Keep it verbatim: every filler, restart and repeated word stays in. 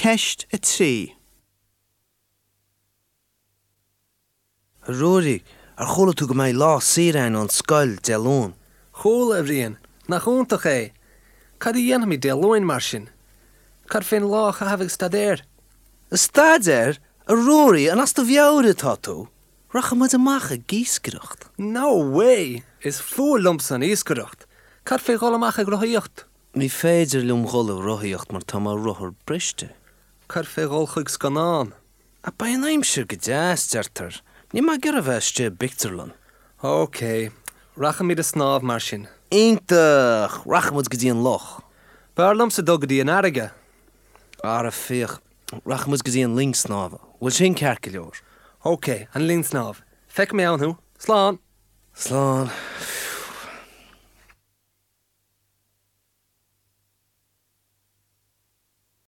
Ceist a trí. A Ruairí, ar chuala tú go mbeidh lá saor againn ón scoil Dé Luain? Chuala, a Bhriain. Nach iontach é! Cad a dhéanfaimid Dé Luain mar sin? Cad fén lá a chaitheamh ag staidéar? Ag staidéar? A Ruairí, an as do mheabhair atá tú? Rachaidh muid amach ag iascaireacht. No way! Is fuath liomsa an iascaireacht. Cad fé dhul amach ag rothaíocht? Ní féidir liom dhul ag rothaíocht mar tá mo rothar briste. Cad fé dhul chuig scannán? Ach beidh an aimsir go deas, deirtear. Níl mé ag iarraidh a bheith istigh i bpictiúrlann. Ok, rachaimid ag snámh mar sin. Iontach! Rachaidh muid go dtí an loch. B'fhearr liomsa dul go dtí an fharraige. Ara féach, rachaidh muid go dtí an linn snámha. Bhfuil sin ceart go leor? Ok, an linn snámh. Feicfidh mé ann thú. Slán! Slán.